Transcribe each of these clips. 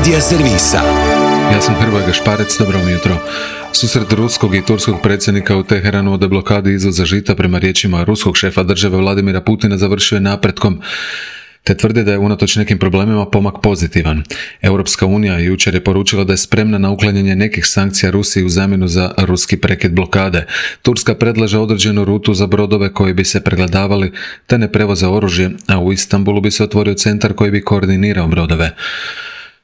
Media servisa. Ja sam Hrvoje Gašparec, dobro vam jutro. Susret ruskog i turskog predsjednika u Teheranu o deblokadi izvoza žita prema riječima ruskog šefa države Vladimira Putina završio je napretkom, te tvrde da je unatoč nekim problemima pomak pozitivan. Europska unija jučer je poručila da je spremna na uklanjanje nekih sankcija Rusiji u zamjenu za ruski prekid blokade. Turska predlaže određenu rutu za brodove koji bi se pregledavali te ne prevoze oružje, a u Istanbulu bi se otvorio centar koji bi koordinirao brodove.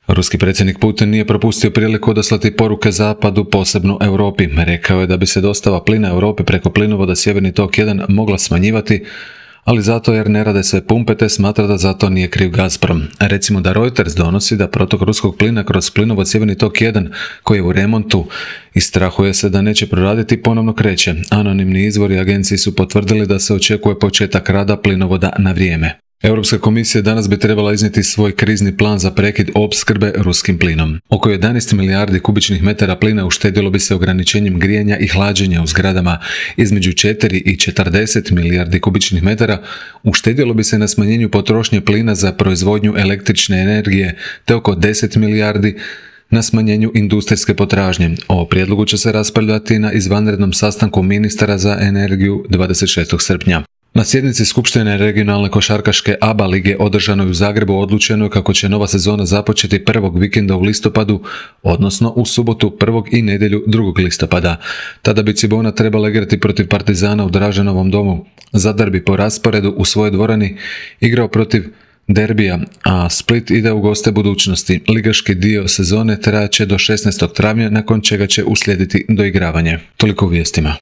Ruski predsjednik Putin nije propustio priliku odaslati poruke zapadu, posebno Europi. Rekao je da bi se dostava plina Europi preko plinovoda Sjeverni tok 1 mogla smanjivati, ali zato jer ne rade sve pumpe, te smatra da zato nije kriv Gazprom. Recimo da Reuters donosi da protok ruskog plina kroz plinovod Sjeverni tok 1, koji je u remontu i strahuje se da neće proraditi, ponovno kreće. Anonimni izvori agenciji su potvrdili da se očekuje početak rada plinovoda na vrijeme. Europska komisija danas bi trebala iznijeti svoj krizni plan za prekid opskrbe ruskim plinom. Oko 11 milijardi kubičnih metara plina uštedjelo bi se ograničenjem grijanja i hlađenja u zgradama. Između 4 i 40 milijardi kubičnih metara uštedjelo bi se na smanjenju potrošnje plina za proizvodnju električne energije, te oko 10 milijardi na smanjenju industrijske potražnje. O prijedlogu će se raspravljati na izvanrednom sastanku ministara za energiju 26. srpnja. Na sjednici Skupštine regionalne košarkaške ABA lige održanoj u Zagrebu odlučeno je kako će nova sezona započeti prvog vikenda u listopadu, odnosno u subotu 1. i nedjelju 2. listopada. Tada bi Cibona trebala igrati protiv Partizana u Draženovom domu. Zadar bi po rasporedu u svojoj dvorani igrao protiv Derbija, a Split ide u goste Budućnosti. Ligaški dio sezone trajaće do 16. travnja, nakon čega će uslijediti doigravanje. Toliko u vijestima.